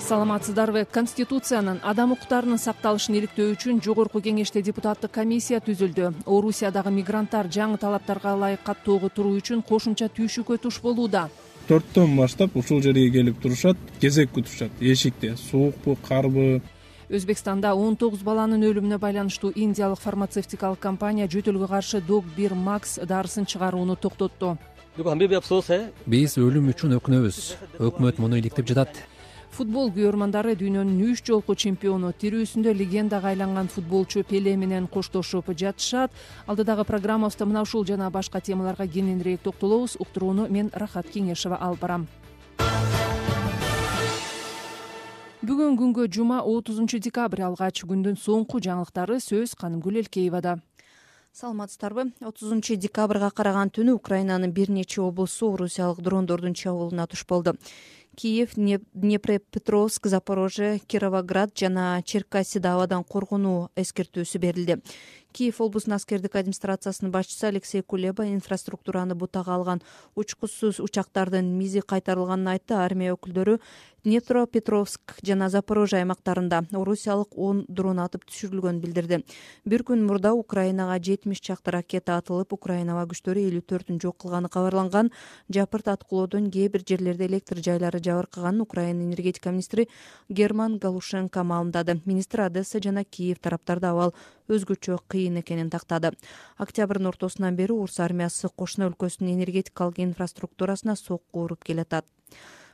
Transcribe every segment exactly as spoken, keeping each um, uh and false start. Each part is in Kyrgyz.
Саламатсыздарбы? Конституциянын адам укуктарынын сакталышын иликтөө үчүн жогорку кеңеште депутаттык комиссия түзүлдү. Орусиядагы мигранттар жаңы талаптарга ылайык каттоого туруу үчүн кошумча түйшүккө туш болууда. төрттөн баштап ушул жерге келип турушат, кезек күтүшат. Эшикте суукпу, карбы. Өзбекстанда он тогуз баланын өлүмүнө байланыштуу индиялык фармацевтикалык компания жөтөлгө каршы Док бир Макс дарысын чыгарууну токтотту. Биз өлүм үчүн өкүнөбүз. Өкмөт муну иликтеп жатат. Футбол күйөрмандары дүйнөнүн үч жолку чемпиону, тирүүсүндө легендага айланган футболчу Пеле менен коштошуп жатышат. Алдыдагы программабызда мына ушул жана башка темаларга кененирээк токтолобуз. Уктурууну мен Рахат Кеңешева алып барам. Бүгүн күнгө жума отузунчу декабрь, алгач күндүн соңку жаңылыктары сөз Канымгүл Элкеевада. Саламатсыздарбы? отузунчу декабрга караган түнү Украинанын бир нече облусу орусиялык дрондордун чабуулуна туш болду. Киев, Днепропетровск, Запорожье, Кировоград жана Черкассида абадан коргонуу эскертүүсү берилди. Киев облусунун аскердик администрациясынын башчысы Алексей Кулеба инфраструктураны бутага алган учкучсуз учактардын мизи кайтарылганын айтты. Армия өкүлдөрү Днепропетровск жана Запорожье аймактарында орусиялык он дрон атып түшүрүлгөнүн билдирди. Бир күн мурда Украинага жетимиш чакты ракета атылып, Украина күчтөрү элүү төртүн жок кылганы кабарланган. Жапырт аткылоодон кээ бир жерлерде электр жайлары жабыркаганын Украина энергетика министри Герман Галушенко маалымдады. Министр Одесса жана Киев тараптарда абал өзгөчө кыйын экенин тактады. Октябрдын ортосунан бери Орус армиясы кошуна өлкөсүнүн энергетикалык инфраструктурасына сокку уруп келатат.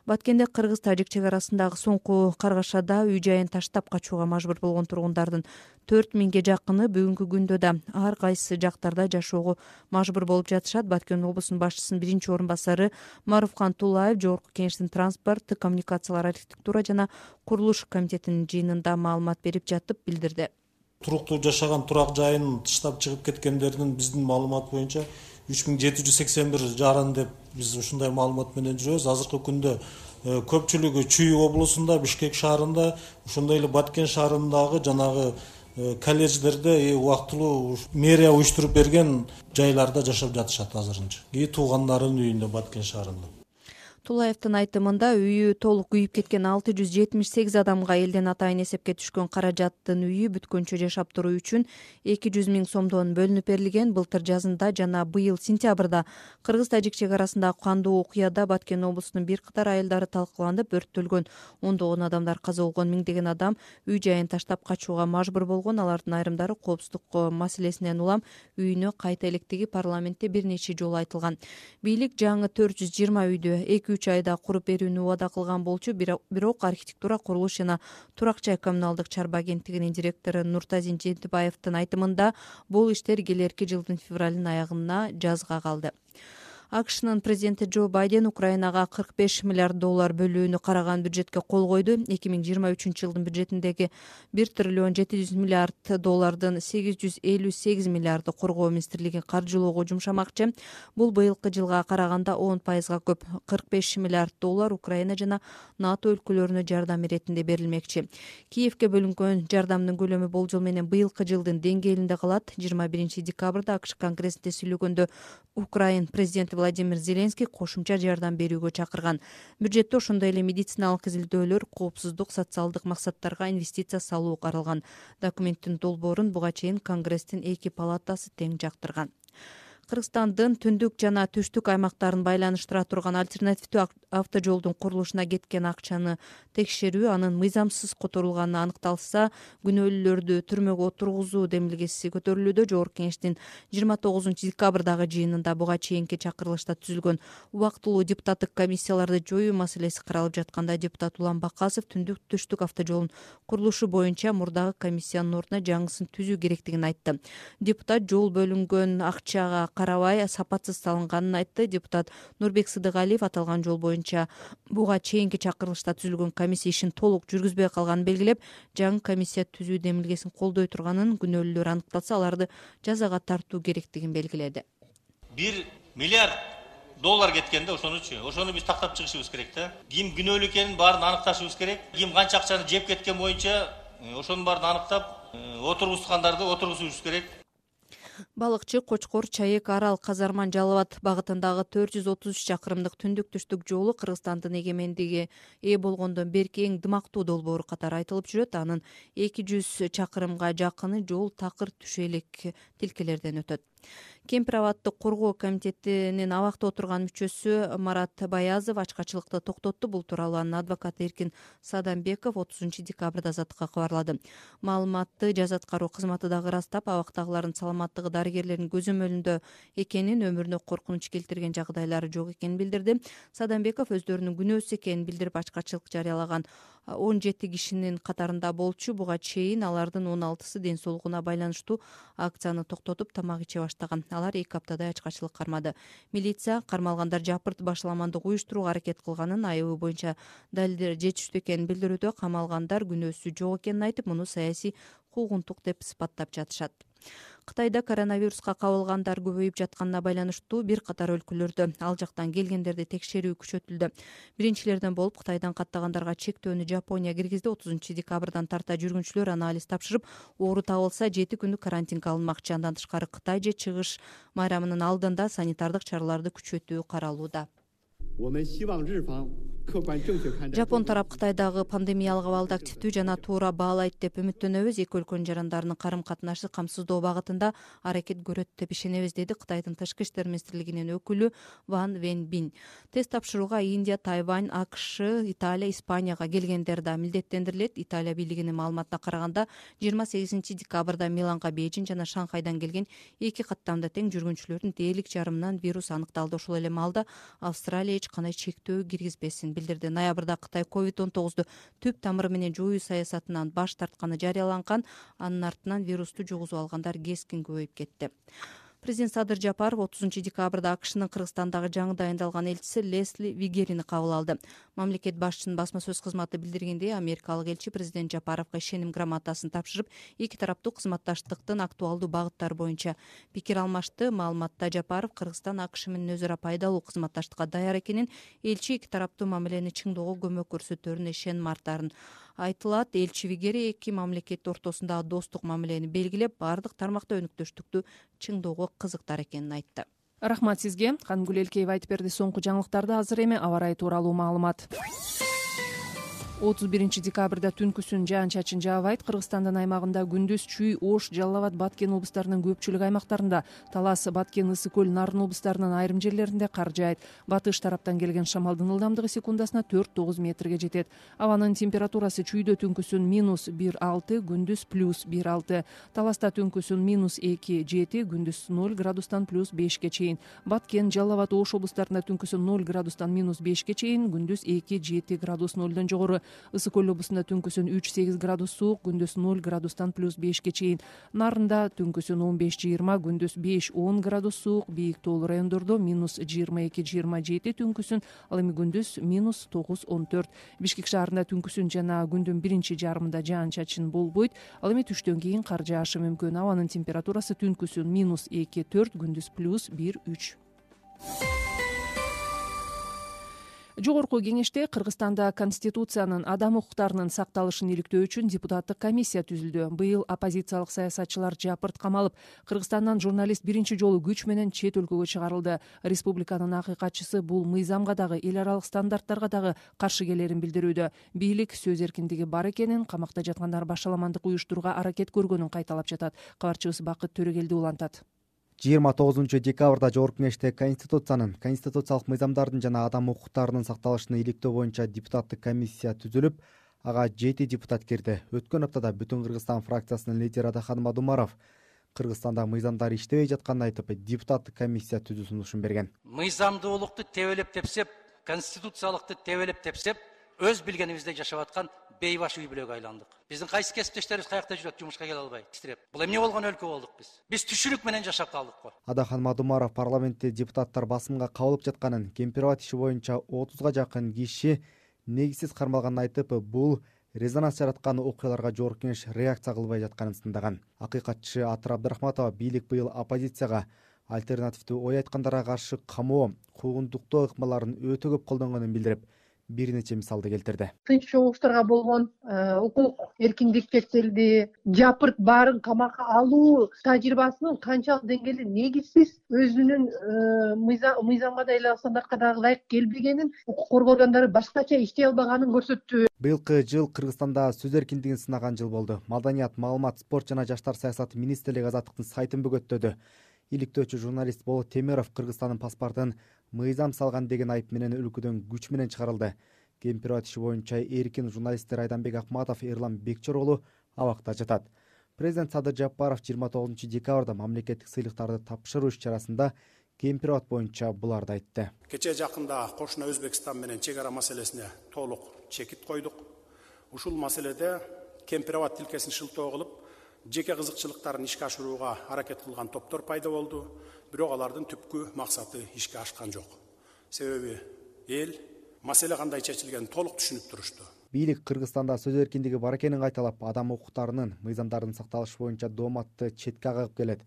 Баткенде кыргыз-тажик чек арасындагы соңку каргашада үй-жайын таштап качууга мажбур болгон тургундардын төрт миңге жакыны бүгүнкү күндө да ар кайсы жактарда жашоого мажбур болуп жатышат. Баткен облусунун башчысынын биринчи орун басары Маруфкан Тулаев жогорку кеңештин транспорт, коммуникациялар, архитектура жана курулуш комитетинин жыйынында маалымат берип жатып билдирди. Туруктуу жашаган турак жайын тыштап чыгып кеткендердин биздин маалымат боюнча үч миң жети жүз сексен бир жарын деп биз ушундай маалымат менен жүрөбүз. Азыркы күндө көпчүлүгү Чүй облусунда, Бишкек шаарында, ошондой эле Баткен шаарындагы жанагы колледждерде убактылуу мэрия уюштуруп берген жайларда жашап жатышат азырынча. И туугандарынын үйүндө Баткен шаарында. Тулаевдин айтымында үйү толук күйүп кеткен алты жүз жетимиш сегиз адамга элден атайын эсепке түшкөн каражаттын үйү бүткөнчө жашап туруу үчүн эки жүз миң сомдон бөлүнүп берилген. Былтыр жазында жана быйыл сентябрда кыргыз-тажик чек арасындагы кандуу окуяда Баткен облусунун бир катар айылдары талкаланып, өрттөлгөн, ондогон адамдар каза болгон, миңдеген адам үй-жайын таштап качууга мажбур болгон. Алардын айрымдары коопсуздук маселесинен улам үйүнө кайта электиги парламентте бир нече жолу айтылган. Бийлик жаңы төрт жүз жыйырма үйдү эки үч айда куруп берүүнү убада кылган болчу. Бирок архитектура, курулуш жана турак жай коммуналдык чарба агенттигинин директору Нуртазин Жентибаевдин айтымында бул иштер келерки жылдын февралынын аягына жазга калды. АКШнын президенти Джо Байден Украинага кырк беш миллиард доллар бөлүүнү караган бюджетке кол койду. эки миң жыйырма үчүнчү жылдын бюджетиндеги бир триллион жети жүз миллиард доллардын сегиз жүз элүү сегиз миллиарды коргоо министрлиги каржылоого жумшамакчы. Бул быйылкы жылга караганда он пайызга көп. кырк беш миллиард доллар Украина жана НАТО өлкөлөрүнө жардам иретинде берилмекчи. Киевке бөлүнгөн жардамдын көлөмү болжол менен быйылкы жылдын деңгээлинде калат. жыйырма биринчи декабрда АКШ конгрессинде сүйлөгөндө Украин президенти Владимир Зеленский кошумча жардам берүүгө чакырган. Бюджетте ошондой эле медициналык изилдөөлөр, коопсуздук, социалдык максаттарга инвестиция салуу каралган. Документтин долбоорун буга чейин Конгресстин эки палатасы тең жактырган. Кыргызстандын түндүк жана түштүк аймактарын байланыштыра турган альтернативдүү автожолдун курулушуна кеткен акчаны текшерүү, анын мыйзамсыз которулганы аныкталса, күнөөлүүлөрдү түрмөгө отургузуу демилгеси көтөрүлүүдө. Жогорку кеңештин жыйырма тогузунчу декабрдагы жыйынында буга чейинки чакырылышта түзүлгөн убактылуу депутаттык комиссияларды жоюу маселеси каралып жатканда, депутат Улан Бакасов түндүк түштүк автожолунун курулушу боюнча мурдагы комиссиянын ордуна жаңысын түзүү керектигин айтты. Депутат жол бөлүнгөн акчага карабай сапатсыз салынганын айтты. Депутат Нурбек Сыдыгалиев аталган жол боюнча буга чейинки чакырылышта түзүлгөн комиссия ишин толук жүргүзбөй калганын белгилеп, жаңы комиссия түзүү демилгесин колдой турганын, күнөөлүүлөр аныкталса аларды жазага тартуу керектигин белгиледи. бир миллиард доллар кеткенде ошонучу, ошону биз тактап чыгышыбыз керек да. Ким күнөөлүү экенин баарын аныкташыбыз керек. Ким канча акчаны жеп кеткен боюнча ошонун баарын аныктап, отургузгандарды отургузушубуз керек. Балыкчы Кочкор Чаек Арал Казарман Жалал Абад багытындагы төрт жүз отуз үч чакырымдык түндүк-түштүк жолу Кыргызстандын эгемендиги ээ болгондон берки эң дымактуу долбоору катары айтылып жүрөт. Анын эки жүз чакырымга жакыны жол такыр түшелек тилкелерден өтөт. Кемпир абадты коргоо комитетинин абакта отурган мүчөсү Марат Баязов ачкачылыкты токтотту. Бул тууралуу анын адвокаты Эркин Садамбеков отузунчу декабрда Азаттыкка кабарлады. Маалыматты жаза аткаруу кызматы дагы ырастап, абактагылардын саламаттыгы дарыгерлердин көзөмөлүндө экенин, өмүрүнө коркунуч келтирген жагдайлары жок экенин билдирди. Садамбеков өздөрүнүн күнөөсүз экенин билдирип, ачкачылык жарыялаган он жети кишинин катарында болчу. Буга чейин алардын он алтысы ден соолугуна байланыштуу акцияны токтотуп, тамак иче баштаган. Алар эки аптадай ачкачылык кармады. Милиция кармалгандар жапырт башаламандык уюштурууга аракет кылганын, айыбы боюнча далилдер жетиштүү экенин билдирүүдө. Камалгандар күнөөсү жок экенин айтып, муну саясий куугунтук деп сыпаттап жатышат. Кытайда коронавируска кабылгандар көбөйүп жатканына байланыштуу бир катар өлкөлөрдө ал жактан келгендерди текшерүү күчөтүлдү. Биринчилерден болуп Кытайдан каттагандарга чектөөнү Жапония киргизди. отузунчу декабрдан тарта жүргүнчүлөр анализ тапшырып, оору табылса жети күндүк карантинге алынмакчы. Андан тышкары Кытай же чыгыш майрамынын алдында санитардык чараларды күчөтүү каралууда. Жапон тарап Кытайдагы пандемиялык абалды активдүү жана туура баалайт деп үмүттөнөбүз. Эки өлкөнүн жарандарынын карым-катнашы камсыздоо багытында аракет көрөт деп ишенебиз, деди Кытайдын тышкы иштер министрлигинин өкүлү Ван Венбин. Тест тапшырууга Индия, Тайвань, АКШ, Италия, Испанияга келгендер да милдеттендирилет. Италия бийлигинин маалыматына караганда, жыйырма сегизинчи декабрда Миланга Бейжиң жана Шанхайдан келген эки каттамда тең жүргүнчүлөрдүн дээрлик жарымынан вирус аныкталды. Ошол эле маалда Австралия эч кандай чектөө киргизбесин билдирди. Ноябрда Кытай ковид он тогузду түп тамыры менен жоюу саясатынан баш тартканы жарыяланган. Анын артынан вирусту жугузуп алгандар кескин көбөйүп кетти. Президент Садыр Жапаров отузунчу декабрда АКШнын Кыргызстандагы жаңы дайындалган элчиси Лесли Вигерини кабыл алды. Мамлекет башчысынын басма сөз кызматы билдиргендей, америкалык элчи президент Жапаровго ишеним грамотасын тапшырып, эки тараптуу кызматташтыктын актуалдуу багыттары боюнча пикир алмашты. Маалыматта Жапаров Кыргызстан АКШ менен өз ара пайдалуу кызматташтыкка даяр экенин, элчи эки тараптуу мамилени чыңдоого көмөк көрсөтөрүнө ишеним артарын айтылат. Элчи Вигери эки мамлекет ортосундагы достук мамилени белгилеп, бардык тармакта өнүктөштүктү чыңдоого кызыктар экенин айтты. Рахмат сизге. Кангүл Элкеева айтып берди. Соңку жаңылыктарды азыр эми аба ырайы тууралуу маалымат. отуз биринчи декабрда түнкүсүн жаан-чачын жаабайт. Кыргызстандын аймагында күндүз Чүй, Ош, Жалал Абад, Баткен облустарынын көпчүлүк аймактарында, Талас, Баткен, Ысык көл, Нарын облустарынын айрым жерлеринде кар жаайт. Батыш тараптан келген шамалдын ылдамдыгы секундасына төрт тогуз метрге жетет. Абанын температурасы Чүйдө түнкүсүн минус бир алты, күндүз плюс бир алты. Таласта түнкүсүн минус эки жети, күндүз ноль градустан плюс бешке чейин. Баткен, Жалал Абад, Ош облустарында түнкүсүн ноль градустан минус бешке чейин, күндүз эки жети градус нолдон жогору. Ысык көл облусунда түнкүсүн үч сегиз градус суук, күндүз ноль градустан плюс бешке чейин. Нарында түнкүсүн он беш жыйырма, күндүз беш он градус суук, бийик тоолуу райондордо минус жыйырма эки жыйырма жети түнкүсүн, ал эми күндүз минус тогуз он төрт. Бишкек шаарында түнкүсүн жана күндүн биринчи жарымында жаан-чачын болбойт, ал эми түштөн кийин кар жаашы мүмкүн. Абанын температурасы түнкүсүн минус эки төрт, күндүз плюс бир үч. Жогорку кеңеште Кыргызстанда Конституциянын адам укуктарынын сакталышын иликтөө үчүн депутаттык комиссия түзүлдү. Быйыл оппозициялык саясатчылар жапырт камалып, Кыргызстандан журналист биринчи жолу күч менен чет өлкөгө чыгарылды. Республиканын акыйкатчысы бул мыйзамга дагы, эл аралык стандарттарга дагы каршы келерин билдирүүдө. Бийлик сөз эркиндиги бар экенин, камакта жаткандар башаламандык уюштурууга аракет көргөнүн кайталап жатат. Кабарчыбыз Бакыт Төрөгелди улантат. жыйырма тогузунчу декабрда Жогорку кеңеште Конституциянын, конституциялык мыйзамдардын жана адам укуктарынын сакталышын иликтөө боюнча депутаттык комиссия түзүлүп, ага жети депутат кирди. Өткөн аптада Бүтүн Кыргызстан фракциясынын лидери Адахан Мадумаров Кыргызстанда мыйзамдар иштебей жатканын айтып, депутаттык комиссия түзүү сунушун берген. Мыйзамдуулукту тебелеп тепсеп, конституциялыкты тебелеп тепсеп, өз билгенибизде жашап аткан бейбаш үй бүлөгө айландык. Биздин кайсы кесиптештерибиз каякта жүрөт, жумушка келе албай, титиреп. Бул эмне болгон өлкө болдук биз? Биз түшүнүк менен жашап калдык го. Адахан Мадумаров парламентте депутаттар басымга кабылып жатканын, Кемпир абад иши боюнча отузга жакын киши негизсиз кармалганын айтып, бул резонанс жараткан окуяларга Жогорку кеңеш реакция кылбай жатканын сындаган. Акыйкатчы Атыр Абдрахматова бийлик быйыл оппозицияга альтернативдүү ой айткандарга каршы камоо, куугунтуктоо ыкмаларын өтө көп колдонгонун билдирип, бир нече мисалды келтирди. Тынч чогулуштарга болгон укук эркиндик чектелди. Жапырт баарын камакка алуу тажрыйбасынын канчалык деңгээли негизсиз, өзүнүн мыйзамга да эле стандартка дагы ылайык келбегенин, укук коргоо органдары башкача иштей албаганын көрсөттү. Быйылкы жыл Кыргызстанда сөз эркиндигин сынаган жыл болду. Маданият, маалымат, спорт жана жаштар саясаты министрлиги Азаттыктын сайтын бөгөттөдү. Иликтөөчү журналист Болот Темиров Кыргызстандын паспортун мыйзам салган деген айып менен өлкөдөн күч менен чыгарылды. Кемпирова иши боюнча эркин журналисттер Айданбек Акматов, Эрлан Бекчор абакта жатат. Президент Садыр Жапаров жыйырма тогузунчу декабрда мамлекеттик сыйлыктарды тапшыруу иш-чарасында Кемпирова боюнча буларды айтты. Кече жакында кошуна Өзбекстан менен чек ара маселесине толук чекит койдук. Ушул маселеде Кемпирова тилкесин шылтоо кылып, жеке кызыкчылыктарын ишке ашырууга аракет кылган топтор пайда болду. Бирок алардын түпкү максаты ишке ашкан жок. Себеби эл маселе кандай чечилгенин толук түшүнүп турушту. Бийлик Кыргызстанда сөз эркиндиги бар экенин кайталап, адам укуктарынын, мыйзамдардын сакталышы боюнча дооматты четке кагып келет.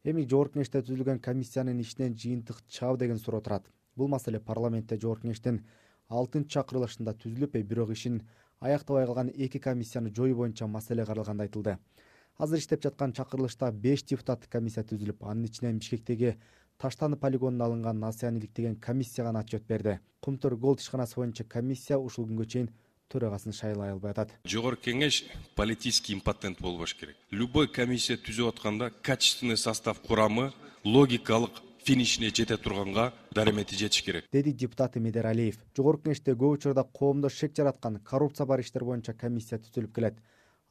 Эми Жогорку Кеңеште түзүлгөн комиссиянын ишинен жыйынтык чыгабы деген суроо турат. Бул маселе парламентте Жогорку Кеңештин алтынчы чакырылышында түзүлүп, бирок ишин аяктабай калган эки комиссияны жоюу боюнча маселе каралганда айтылды. Азыр иштеп жаткан чакырылышта беш депутаттык комиссия түзүлүп, анын ичинен Бишкектеги Таштаны полигонуна алынган Насыян иликтеген комиссия гана отчет берди. Кумтөр Голд ишканасы боюнча комиссия ушул күнгө чейин төрагасын шайлай албай атат. Жогорку Кеңеш политический импотент болбош керек. Любой комиссия түзүп атканда качественный состав курамы логикалык финишине жете турганга даремети жетиш керек, деди депутат Медер Алиев. Жогорку Кеңеште көп учурда коомдо шек жараткан коррупция бар иштер боюнча комиссия түзүлүп келет.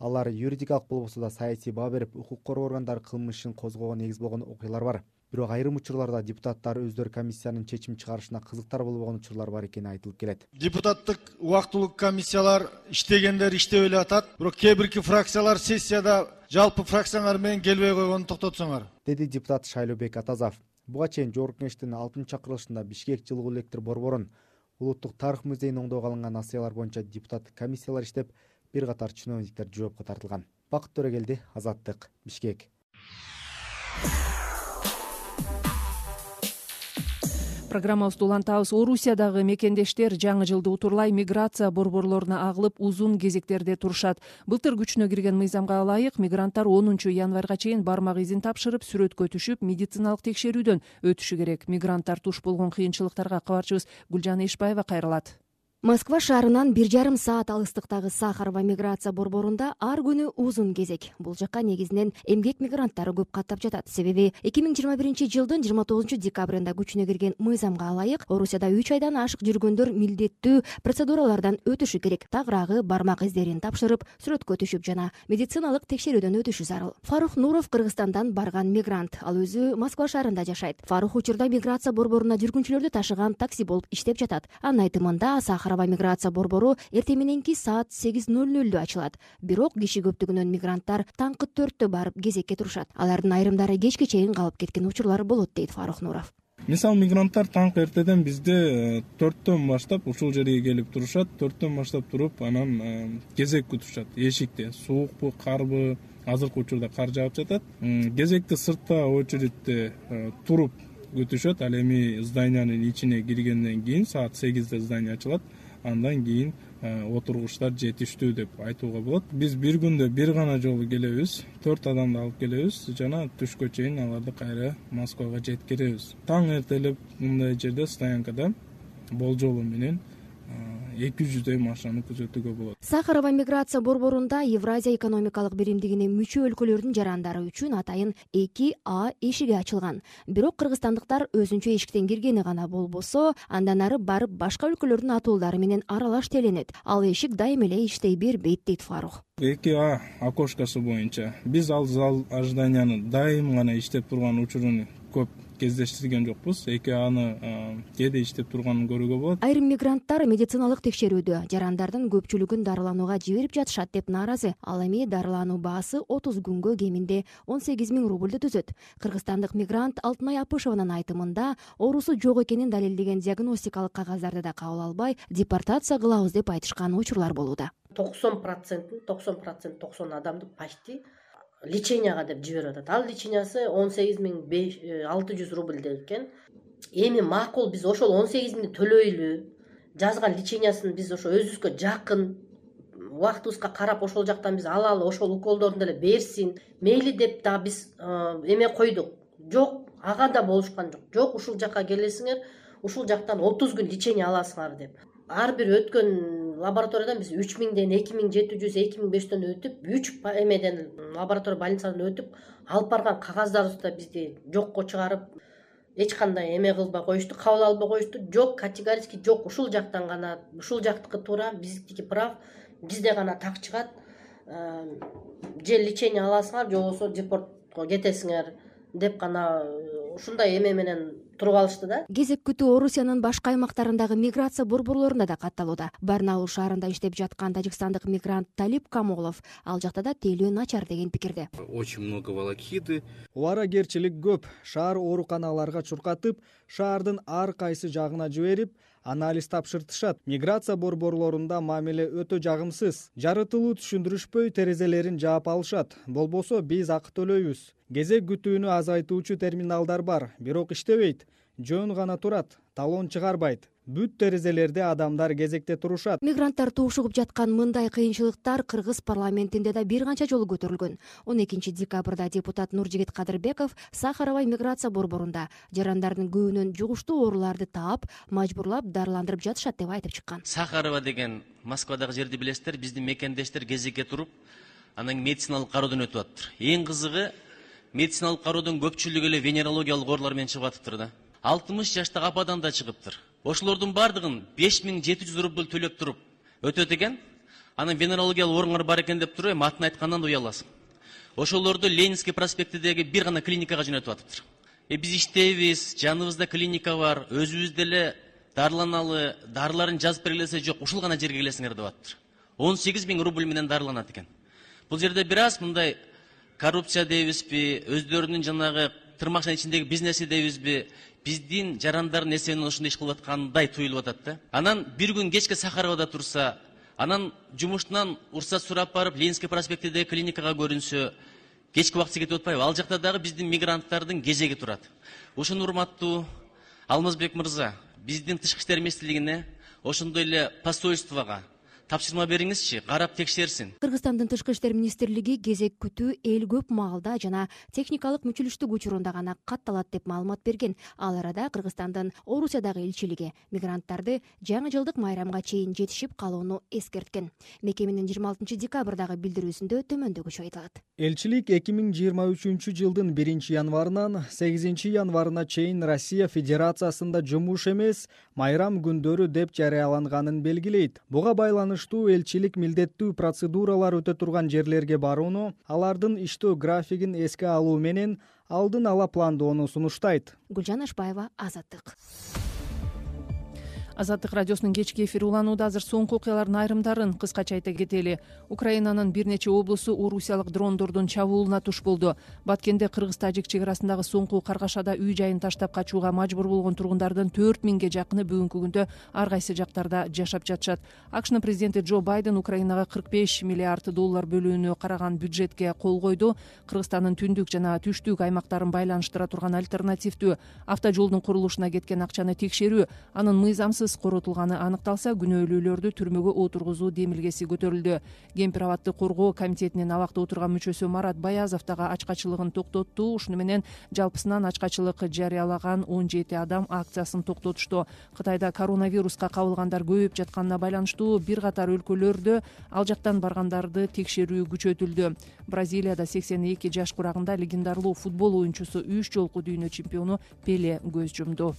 Алар юридикалык болбосо да саясий баа берип, укук коргоо органдары кылмышын козгоого негиз болгон окуялар бар. Бирок айрым учурларда депутаттар өздөрү комиссиянын чечим чыгарышына кызыктар болбогон учурлар бар экени айтылып келет. Депутаттык убактылуу комиссиялар иштегендер иштеп эле атат. Бирок кээ бирки фракциялар сессияда жалпы фракциялар менен келбей койгонун токтотсоңор, деди депутат Шайлообек Атазов. Буга чейин Жогорку Кеңештин алтынчы чакырылышында Бишкек жылуу электр борборун, Улуттук тарых музейин оңдоого алынган насыялар боюнча депутаттык комиссиялар иштеп, бир катар чиновниктер жоопко тартылган. Бакыт Төрөгелди, Азаттык, Бишкек. Программабызды улантабыз. Орусиядагы мекендештер жаңы жылды утурлай миграция борборлоруна агылып, узун кезектерде турушат. Былтыр күчүнө кирген мыйзамга ылайык мигранттар онунчу январга чейин бармак изин тапшырып, сүрөткө түшүп, медициналык текшерүүдөн өтүшү керек. Мигранттар туш болгон кыйынчылыктарга кабарчыбыз Гүлжан Эшбаева кайрылат. Москва шаарынан бир жарым саат алыстыктагы Сахарова миграция борборунда ар күнү узун кезек. Бул жакка негизинен эмгек мигранттары көп каттап жатат. Себеби эки миң жыйырма биринчи жылдын жыйырма тогузунчу декабрында күчүнө кирген мыйзамга ылайык Орусияда үч айдан ашык жүргөндөр милдеттүү процедуралардан өтүшү керек. Тагыраагы бармак издерин тапшырып, сүрөткө түшүп жана медициналык текшерүүдөн өтүшү зарыл. Фарух Нуров Кыргызстандан барган мигрант. Ал өзү Москва шаарында жашайт. Фарух учурда миграция борборуна жүргүнчүлөрдү ташыган такси болуп иштеп жатат. Анын айтымында Сахарова миграция борбору эртең мененки саат сегиз ноль нолдо ачылат. Бирок киши көптүгүнөн мигранттар таңкы төрттө барып кезекке турушат. Алардын айрымдары кечке чейин калып кеткен учурлар болот, дейт Фарух Нуров. Мисалы мигранттар таңкы эртеден бизде төрттөн баштап ушул жерге келип турушат. төрттөн баштап туруп, анан кезек күтүшат. Эшикте суукпу, карбы, азыркы учурда кар жаап жатат. Кезекте сыртта очередте туруп күтүшөт. Ал эми зданиянын ичине киргенден кийин саат сегизде здание ачылат. Андан кийин отургучтар жетиштүү деп айтууга болот. Биз бир күндө бир гана жолу келебиз, төрт адамды алып келебиз жана түшкө чейин аларды кайра Москвага жеткиребиз. Таң эртелеп мындай жерде стоянкада болжолу менен эки жүздөй машинаны күзөтүүгө болот. Сахарова миграция борборунда Евразия экономикалык биримдигине мүчө өлкөлөрдүн жарандары үчүн атайын эки А эшиги ачылган. Бирок кыргызстандыктар өзүнчө эшиктен киргени гана болбосо, андан ары барып башка өлкөлөрдүн атуулдары менен аралаш теленет. Ал эшик дайым эле иштей бербейт, дейт Фарух. эки А окошкасы боюнча биз ал зал ожиданияны дайым гана иштеп турган учурун көп кездештирген жокпуз. эки аны кээде иштеп турганын көрүүгө болот. Айрым мигранттар медициналык текшерүүдө жарандардын көпчүлүгүн дарыланууга жиберип жатышат деп нааразы. Ал эми дарылануу баасы отуз күнгө кеминде он сегиз миң рубльду түзөт. Кыргызстандык мигрант Алтынай Апышеванын айтымында оорусу жок экенин далилдеген диагностикалык кагаздарды да кабыл албай, депортация кылабыз деп айтышкан учурлар болууда. токсон процент токсон процент токсон адамды почти леченияга деп жиберип атат. Ал лечениясы он сегиз миң алты жүз рубль экен. Эми макул биз ошол он сегиз миңди төлөйлү, жазган лечениясын биз ошо өзүбүзгө жакын убактыбызга карап ошол жактан биз алалы, ошол уколдорун деле берсин мейли деп дагы биз эме койдук. Жок, ага да болушкан жок. Жок, ушул жакка келесиңер, ушул жактан отуз күн лечение аласыңар деп. Ар бир өткөн лабораториядан биз үч миңден эки миң жети жүз эки миң беш жүздөн өтүп, үч эмеден лаборатория больницадан өтүп, алып барган кагаздарыбызды да бизди жокко чыгарып, эч кандай эме кылбай коюшту, кабыл албай коюшту. Жок, категорически жок, ушул жактан гана, ушул жактыкы туура, биздики прав, бизде гана так чыгат. Же лечение аласыңар, же болбосо депортко кетесиңер деп гана ушундай эме менен туруп алышты да. Кезек күтүү Орусиянын башка аймактарындагы миграция борборлорунда да катталууда. Барнаул шаарында иштеп жаткан тажикстандык мигрант Талип Камолов ал жакта да тейлөө начар деген пикирде. Очень много волокиты. Убарагерчилик көп. Шаар ооруканаларга чуркатып, шаардын ар кайсы жагына жиберип, анализ тапшыртышат. Миграция борборлорунда мамиле өтө жагымсыз. Жарытылуу түшүндүрүшпөй терезелерин жаап алышат. Болбосо биз акы төлөйбүз. Кезек күтүүнү азайтуучу терминалдар бар, бирок иштебейт. Жөн гана турат, талон чыгарбайт. Бүт терезелерде адамдар кезекте турушат. Мигранттар туушугуп жаткан мындай кыйынчылыктар Кыргыз парламентинде да бир канча жолу көтөрүлгөн. он экинчи декабрда депутат Нуржигит Кадырбеков Сахаровай миграция борборунда жарандардын көбүнөн жугуштуу ооруларды таап, мажбурлап дарыландырып жатышат деп айтып чыккан. Сахарова деген Москвадагы жерди билесиздер, биздин мекендештер кезекке туруп, анан медициналык кароодон өтүп атыптыр. Эң кызыгы, медициналык кароодон көпчүлүгү эле венерологиялык оорулар менен чыгып атыптыр да. алтымыш жаштагы ападан да чыгыптыр. Ошолордун бардыгын беш миң жети жүз рубль төлөп туруп өтөт экен. Анын венерологиялык ооруңар бар экен деп туруп, эми атын айткандан да уяласың. Ошолорду Ленинский проспектидеги бир гана клиникага жөнөтүп атыптыр. Э биз иштейбиз, жаныбызда клиника бар, өзүбүз деле дарыланалы, дарыларын жазып бергилесе жок, ушул гана жерге келесиңер деп атыптыр. он сегиз миң рубль менен дарыланат экен. Бул жерде бир аз мындай коррупция дейбизби, өздөрүнүн жанагы тырмакчанын ичиндеги бизнеси дейбизби, биздин жарандардын эсебинен ушундай иш кылып аткандай туюлуп атат да. Анан бир күн кечке Сахаровада турса, анан жумуштан уруксат сурап барып Ленинский проспектидеги клиникага көрүнсө, кечки убакыт кетип атпайбы? Ал жакта дагы биздин мигранттардын кезеги турат. Ошону урматтуу Алмазбек мырза, биздин тышкы иштер министрлигине, ошондой эле посольствого тапшырма бериңизчи, карап текшерсин. Кыргызстандын тышкы иштер министрлиги кезек күтүү эл көп маалда жана техникалык мүчүлүштүк учурунда гана катталат деп маалымат берген. Ал арада Кыргызстандын Орусиядагы элчилиги мигранттарды жаңы жылдык майрамга чейин жетишип калууну эскерткен. Мекеменин жыйырма алтынчы декабрдагы билдирүүсүндө төмөндөгүчө айтылат. Элчилик эки миң жыйырма үчүнчү жылдын биринчи январынан сегизинчи январына чейин Россия Федерациясында жумуш эмес, майрам күндөрү деп жарыяланганын белгилейт. Буга байланыш элчилик милдеттүү процедуралар өтө турган жерлерге барууну, алардын иштөө графигин эске алуу менен алдын ала пландоону сунуштайт. Гүлжан Ашбаева, Азаттык. Азаттык радиосунун кечки эфири уланууда. Азыр соңку окуялардын айрымдарын кыскача айта кетели. Украинанын бир нече облусу орусиялык дрондордун чабуулуна туш болду. Баткенде Кыргыз-Тажик чек арасындагы соңку каргашада үй жайын таштап качууга мажбур болгон тургундардын төрт миңге жакыны бүгүнкү күндө ар кайсы жактарда жашап жатышат. АКШнын президенти Джо Байден Украинага кырк беш миллиард доллар бөлүүнү караган бюджетке кол койду. Кыргызстандын түндүк жана түштүк аймактарын байланыштыра турган альтернативдүү автожолдун курулушуна кеткен акчаны текшерүү, анын мыйзамсыз коротулганы аныкталса, күнөөлүүлөрдү түрмөгө отургузуу демилгеси көтөрүлдү. Кемпир абадты коргоо комитетинин абакта отурган мүчөсү Марат Баязов дагы ачкачылыгын токтотту. Ушуну менен жалпысынан ачкачылык жарыялаган он жети адам акциясын токтотушту. Кытайда коронавируска кабылгандар көбөйүп жатканына байланыштуу бир катар өлкөлөрдө ал жактан баргандарды текшерүү күчөтүлдү. Бразилияда сексен эки жаш курагында легендарлуу футбол оюнчусу үч жолку дүйнө чемпиону Пеле көз жумду.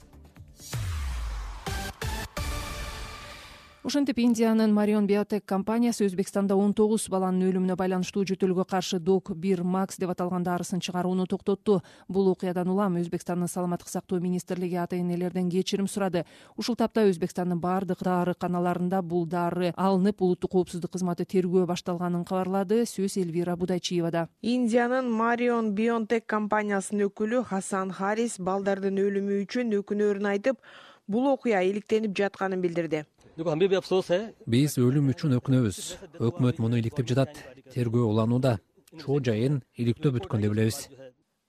Ошентип Индиянын Marion Biotech компаниясы Өзбекстанда он тогуз баланын өлүмүнө байланыштуу жөтөлгө каршы Док бир Макс деп аталган дарысын чыгарууну токтотту. Бул окуядан улам Өзбекстандын саламаттык сактоо министрлиги ата-энелерден кечирим сурады. Ушул тапта Өзбекстандын бардык дарыканаларында бул дары алынып, улуттук коопсуздук кызматы тергөө башталганын кабарлады. Сөз Эльвира Будайчиевада. Индиянын Marion Biotech компаниясынын өкүлү Хасан Харис балдардын өлүмү үчүн өкүнөрүн айтып, бул окуя иликтенип жатканын билдирди. Биз өлүм үчүн өкүнөбүз. Өкмөт муну иликтеп жатат. Тергөө уланууда. Чоо жайын иликтөө бүткөн деп билебиз.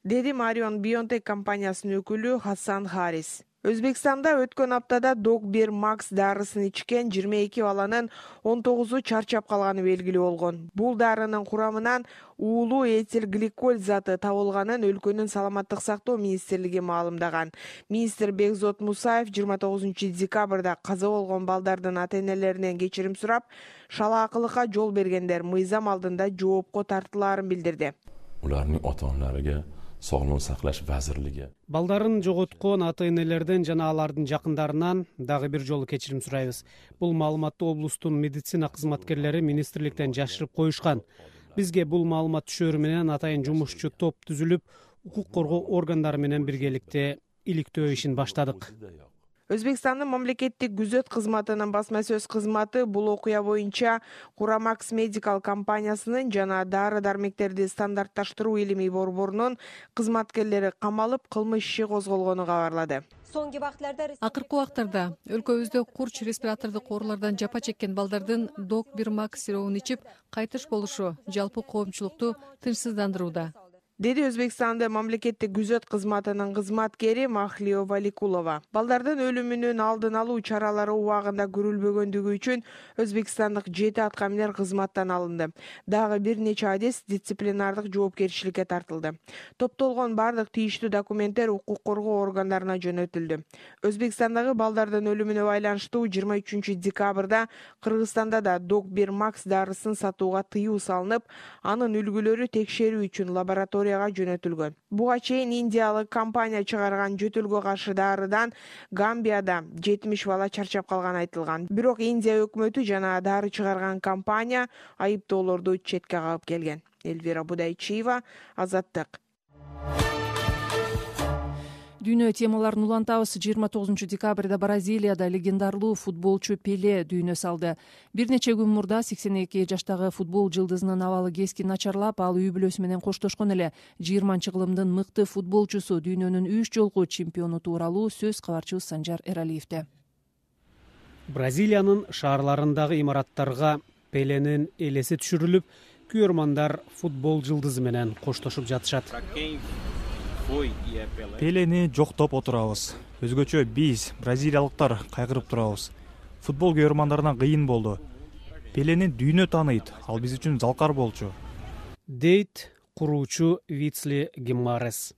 Деди Marion Biotech компаниясынын өкүлү Хасан Харис. Өзбекстанда өткөн аптада дог бир макс дарысын ичкен жыйырма эки баланын он тогузу чарчап калганы белгилүү болгон. Бул дарынын курамынан уулуу этил гликоль заты табылганын өлкөнүн саламаттык сактоо министрлиги маалымдаган. Министр Бекзот Мусаев жыйырма тогузунчу декабрда каза болгон балдардын ата-энелеринен кечирим сурап, шалаакылыкка жол бергендер мыйзам алдында жоопко тартылаарын билдирди. Улардын ата-аналарына Sog'liqni saqlash vazirligi балдарын жоготкон ата-энелерден жана алардын жакындарынан дагы бир жолу кечирим сурайбыз. Бул маалыматты облустун медицина кызматкерлери министрликтен жашырып коюшкан. Бизге бул маалымат түшөрү менен атайын жумушчу топ түзүлүп, укук коргоо органдары менен биргеликте иликтөө ишин баштадык. Өзбекстандын мамлекеттик күзөт кызматынын басма сөз кызматы бул окуя боюнча Курамакс Медикал компаниясынын жана дары-дармектерди стандартташтыруу илимий борборунун кызматкерлери камалып, кылмыш иши козголгонун кабарлады. Акыркы убактарда өлкөбүздө курч респиратордук оорулардан жапа чеккен балдардын дог бир макс сиропун ичип кайтыш болушу жалпы коомчулукту тынчсыздандырууда, деди Өзбекстандын мамлекеттик күзөт кызматынын кызматкери Махлио Валикулова. Балдардын өлүмүнүн алдын алуу чаралары убагында көрүлбөгөндүгү үчүн өзбекстандык жети аткаминер кызматтан алынды. Дагы бир нече адис дисциплинардык жоопкерчиликке тартылды. Топтолгон бардык тийиштүү документтер укук коргоо органдарына жөнөтүлдү. Өзбекстандагы балдардын өлүмүнө байланыштуу жыйырма үчүнчү декабрда Кыргызстанда да дог бир макс дарысын сатууга тыюу салынып, анын үлгүлөрү текшерүү үчүн лаборатория жөнөтүлгөн. Буга чейин индиялык компания чыгарган жөтөлгө каршы дарыдан Гамбияда жетимиш бала чарчап калганы айтылган. Бирок Индия өкмөтү жана дары чыгарган компания айыптоолорду четке кагып келген. Эльвира Будайчиева, Азаттык. Дүйнө темаларын улантабыз. жыйырма тогузунчу декабрда Бразилияда легендарлуу футболчу Пеле дүйнө салды. Бир нече күн мурда сексен эки жаштагы футбол жылдызынын абалы кескин начарлап, ал үй бүлөсү менен коштошкон эле. жыйырманчы кылымдын мыкты футболчусу, дүйнөнүн үч жолку чемпиону тууралуу сөз кабарчыбыз Санжар Эралиевде. Бразилиянын шаарларындагы имараттарга Пеленин элеси түшүрүлүп, күйөрмандар футбол жылдызы менен коштошуп жатышат. Пелени жоктоп отурабыз. Өзгөчө биз, бразилиялыктар, кайгырып турабыз. Футбол күйөрмандарына кыйын болду. Пелени дүйнө тааныйт, ал биз үчүн залкар болчу. Дейт куруучу Вицли Гимарес.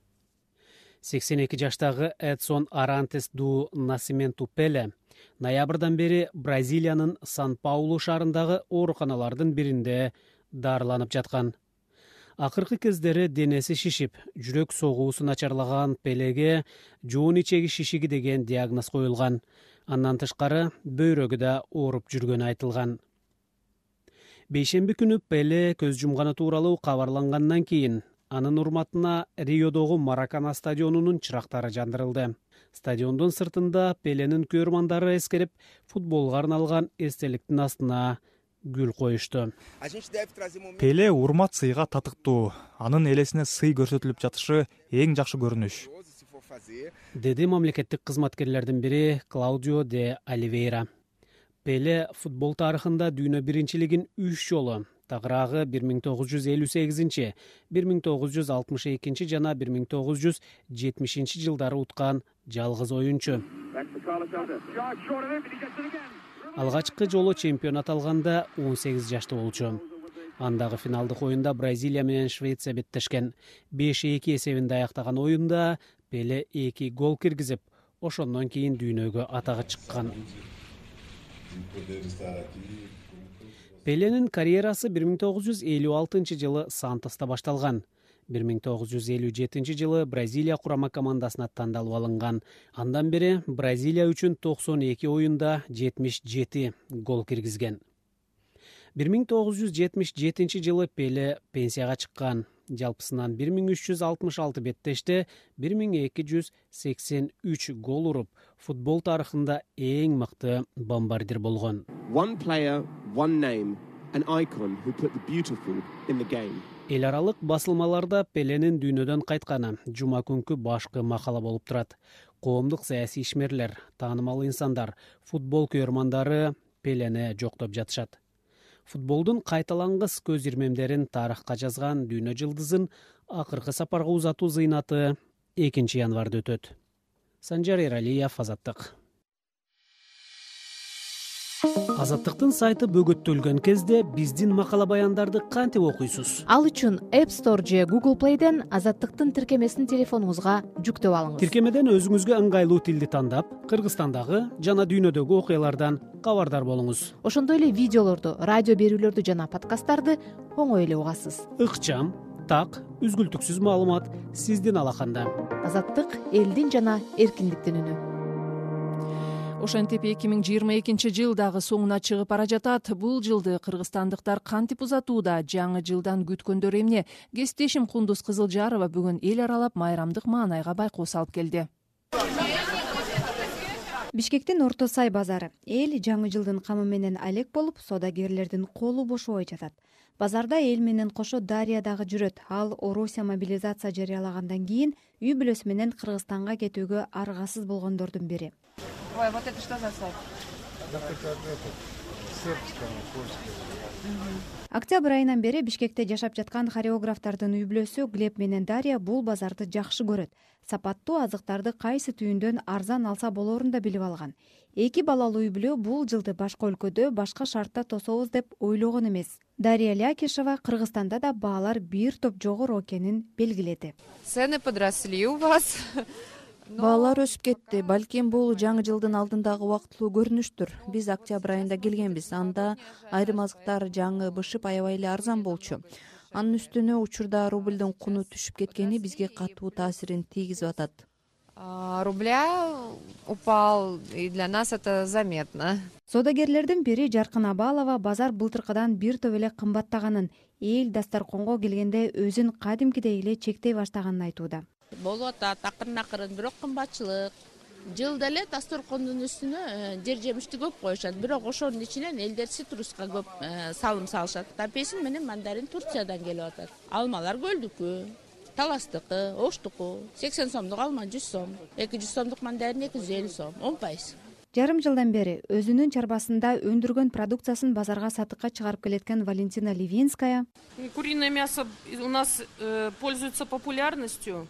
сексен эки жаштагы Эдсон Арантес ду Насименту Пеле ноябрдан бери Бразилиянын Сан-Паулу шаарындагы ооруканалардын биринде дарыланып жаткан. Акыркы кездери денеси шишип, жүрөк согуусу начарлаган Пелеге жоон ичеги шишиги деген диагноз коюлган. Андан тышкары бөйрөгү да ооруп жүргөнү айтылган. Бейшемби күнү Пеле көз жумганы тууралуу кабарлангандан кийин анын урматына Риодогу Маракана стадионунун чырактары жандырылды. Стадиондун сыртында Пеленин күйөрмандары эскерип, футболго арналган эстеликтин астына гүл коюшту. Пеле урмат сыйга татыктуу. Анын элесине сый көрсөтүлүп жатышы эң жакшы көрүнүш, деди мамлекеттик кызматкерлердин бири Клаудио де Оливейра. Пеле футбол тарыхында дүйнө биринчилигин үч жолу, тагыраагы бир миң тогуз жүз элүү сегизинчи, бир миң тогуз жүз алтымыш экинчи жана бир миң тогуз жүз жетимишинчи жылдары уткан жалгыз оюнчу. Алгачкы жолу чемпионат алганда он сегиз жашта болчу. Андагы финалдык оюнда Бразилия менен Швеция беттешкен. беш эки эсебинде аяктаган оюнда Пеле эки гол киргизип, ошондон кийин дүйнөгө атагы чыккан. Пеленин карьерасы бир миң тогуз жүз элүү алтынчы жылы Сантоста башталган. бир миң тогуз жүз элүү жетинчи жылы Бразилия курама командасына тандалып алынган. Андан бери Бразилия үчүн токсон эки оюнда жетимиш жети гол киргизген. бир миң тогуз жүз жетимиш жетинчи жылы Пеле пенсияга чыккан. Жалпысынан бир миң үч жүз алтымыш алты беттеште бир миң эки жүз сексен үч гол уруп, футбол тарыхында эң мыкты бомбардир болгон. One player, one name, an icon who put the beautiful in the game. Эл аралык басылмаларда Пеленин дүйнөдөн кайтканы жума күнкү башкы макала болуп турат. Коомдук саясий ишмерлер, таанымал инсандар, футбол күйөрмандары Пелени жоктоп жатышат. Футболдун кайталангыс көз ирмемдерин тарыхка жазган дүйнө жылдызын акыркы сапарга узатуу зыйнаты экинчи январда өтөт. Санжар Эралиев, Азаттык. Азаттыктын сайты бөгөттөлгөн кезде биздин макала баяндарды кантип окуйсуз? Ал үчүн App Store же Google Play'ден Азаттыктын тиркемесин телефонуңузга жүктөп алыңыз. Тиркемеден өзүңүзгө ыңгайлуу тилди тандап, Кыргызстандагы жана дүйнөдөгү окуялардан кабардар болуңуз. Ошондой эле видеолорду, радио берүүлөрдү жана подкасттарды оңой эле угасыз. Ыкчам, так, үзгүлтүксүз маалымат сиздин алаканда. Азаттык элдин жана эркиндиктин үнү. Ошентип эки миң жыйырма экинчи жыл дагы соңуна чыгып бара жатат. Бул жылды кыргызстандыктар кантип узатууда? Жаңы жылдан күткөндөр эмне? Кесиптешим Кундуз Кызылжарова бүгүн эл аралап майрамдык маанайга байкоо салып келди. Бишкектин Орто Сай базары. Эл жаңы жылдын камы менен алек болуп, соодагерлердин колу бошобой жатат. Базарда эл менен кошо Дарья дагы жүрөт. Ал Орусия мобилизация жарыялагандан кийин үй бүлөсү менен Кыргызстанга кетүүгө аргасыз болгондордун бири. Ой, вот это что за сайт? Октябрь айынан бери Бишкекте жашап жаткан хореографтардын үй бүлөсү Глеб менен Дарья бул базарды жакшы көрөт. Сапаттуу азыктарды кайсы түйүндөн арзан алса болорун да билип алган. Эки балалуу үй бүлө бул жылды башка өлкөдө башка шартта тособуз деп ойлогон эмес. Дарья Лякишева Кыргызстанда да баалар бир топ жогору экенин белгиледи. Цены подросли у вас. Баалар өсүп кетти. Балким бул жаңы жылдын алдындагы убактылуу көрүнүштүр. Биз октябрь айында келгенбиз. Анда айрым азыктар жаңы бышып аябай эле арзан болчу. Анын үстүнө учурда рубльдин куну түшүп кеткени бизге катуу таасирин тийгизип атат. Рубля упал, и для нас это заметно. Соодагерлердин бири Жаркын Абалова базар былтыркыдан бир топ эле кымбаттаганын, эл дасторконго келгенде өзүн кадимкидей эле чектей баштаганын айтууда. Болуп атат акырын акырын, бирок кымбатчылык. Жылда эле дасторкондун үстүнө жер жемишти көп коюшат, бирок ошонун ичинен элдер цитруска көп салым салышат. Апельсин менен мандарин Турциядан келип атат. Алмалар Көлдүкү, Таластыкы, Оштуку, сексен сомдук алма жүз сом, эки жүз сомдук мандарин эки жүз элүү сом, он пайыз. Жарым жылдан бери өзүнүн чарбасында өндүргөн продукциясын базарга сатыкка чыгарып келеткан Валентина Ливинская. Куриное мясо у нас пользуется популярностью.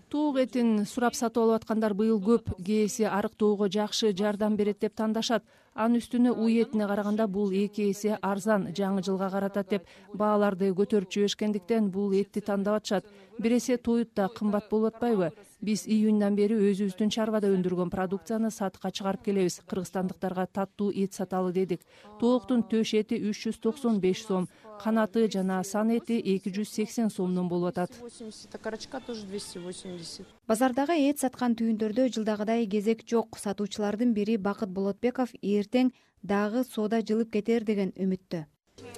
Туук этин сурап сатып алып аткандар быйыл көп. Кээси арыктоого жакшы жардам берет деп тандашат. Анын үстүнө уй этине караганда бул эки эсе арзан, жаңы жылга каратат деп бааларды көтөрүп жиберишкендиктен бул этти тандап атышат. Бир эсе тоют да кымбат болуп атпайбы? Биз июньдан бери өзүбүздүн чарбада өндүргөн продукцияны сатыкка чыгарып келебиз. Кыргызстандыктарга таттуу эт саталы дедик. Тооктун төш эти үч жүз токсон беш сом, канаты жана сан эти эки жүз сексен сомдон болуп атат. Базардагы эт саткан түйүндөрдө жылдагыдай кезек жок. Сатуучулардын бири Бакыт Болотбеков эртең дагы соода жылып кетер деген үмүттө.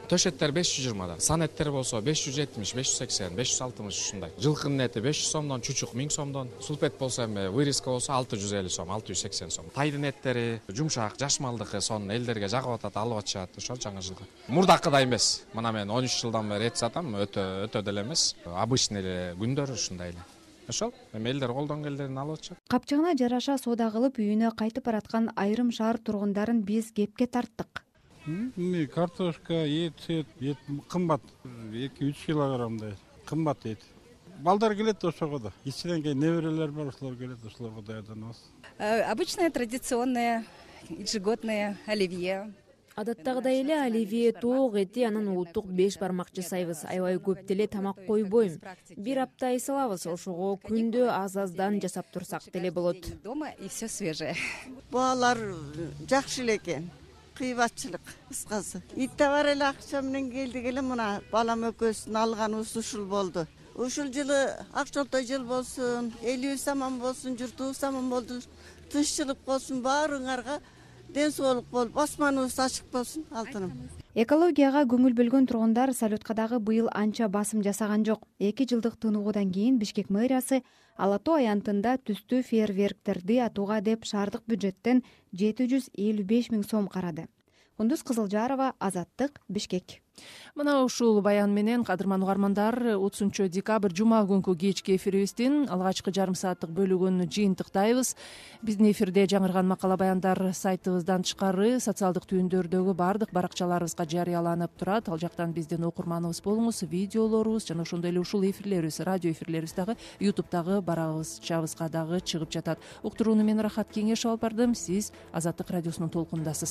Төш эттер беш жүз жыйырмадан, сан эттер болсо беш жүз жетимиш, беш жүз сексен, беш жүз алтымыш ушундай. Жылкынын эти беш жүз сомдон, чучук миң сомдон, сулпет болсо эми вырезка болсо алты жүз элүү сом, алты жүз сексен сом. Тайдын эттери жумшак, жаш малдыкы сонун элдерге жагып атат, алып атышат ошол жаңы жылга. Мурдакыдай эмес. Мына мен он үч жылдан бери эт сатам, өтө өтө деле эмес. Обычный эле күндөр ушундай эле. Ошол эми элдер колдон келгенин алып атышат. Капчыгына жараша соода кылып үйүнө кайтып бараткан айрым шаар тургундарын биз кепке тарттык. Картошка, ет, ет кымбат, эки үч килограммдай кымбат ет. Балдар келет ошого да. Ичинен кийин неберелер бар, ошолор келет, ошолорго даярданабыз. Обычное традиционное ежегодное оливье. Адаттагыдай эле оливье, тоок эти, анан улуттук беш бармак жасайбыз. Аябай көп деле тамак койбойм. Бир апта ай салабыз, ошого күндө аз-аздан жасап турсак деле болот. Дома и все свежее. Баалар жакшы эле экен. Кыйбатчылык кыскасы. Итте бар эле акча менен келдик эле, мына балам экөөбүздүн алганыбыз ушул болду. Ушул жылы акчолтой жыл болсун, элибиз аман болсун, журтубуз аман болду, тынччылык болсун, баарыңарга ден соолук болуп, асманыбыз ачык болсун, алтыным. Экологияга көңүл бөлгөн тургундар салюткка дагы быйыл анча басым жасаган жок. Эки жылдык тынугудан кийин Бишкек мэриясы Ала Тоо аянтында түстүү фейерверктерди атууга деп шаардык бюджеттен жети жүз элүү беш миң сом карады. Кундуз Кызылжарова, Азаттык, Бишкек. Мына ушул баян менен кадырман угармандар, отузунчу декабрь жума күнкү кечки эфирибиздин алгачкы жарым сааттык бөлүгүн жыйынтыктайбыз. Биздин эфирде жаңырган макала баяндар сайтыбыздан тышкары социалдык түйүндөрдөгү баардык баракчаларыбызга жарыяланып турат. Ал жактан биздин окурманыбыз болуңуз, видеолорубуз жана ошондой эле ушул эфирлерибиз, радио эфирлерибиз дагы ютубтагы барабызчабызга дагы чыгып жатат. Уктурууну мен Рахат Кеңешов алып бардым. Сиз Азаттык радиосунун толкунундасыз.